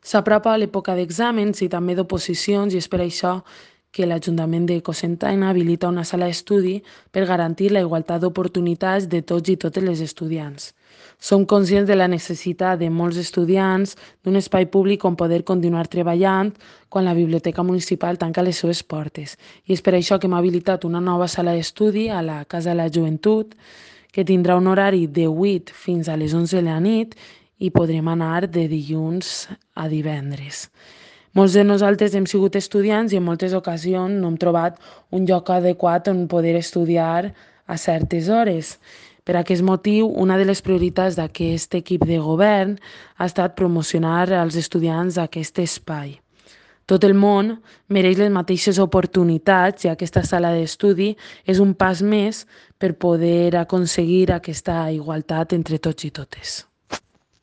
S'apropa l'època d'exàmens i també d'oposicions i és per això que l'Ajuntament de Cocentaina habilita una sala d'estudi per garantir la igualtat d'oportunitats de tots i totes les estudiants. Som conscients de la necessitat de molts estudiants d'un espai públic on poder continuar treballant quan la biblioteca municipal tanca les seves portes. I és per això que hem habilitat una nova sala d'estudi a la Casa de la Joventut que tindrà un horari de 8 fins a les 11 de la nit i podrem anar de dilluns a divendres. Molts de nosaltres hem sigut estudiants i en moltes ocasions no hem trobat un lloc adequat on poder estudiar a certes hores. Per aquest motiu, una de les prioritats d'aquest equip de govern ha estat promocionar als estudiants aquest espai. Tot el món mereix les mateixes oportunitats i aquesta sala d'estudi és un pas més per poder aconseguir aquesta igualtat entre tots i totes.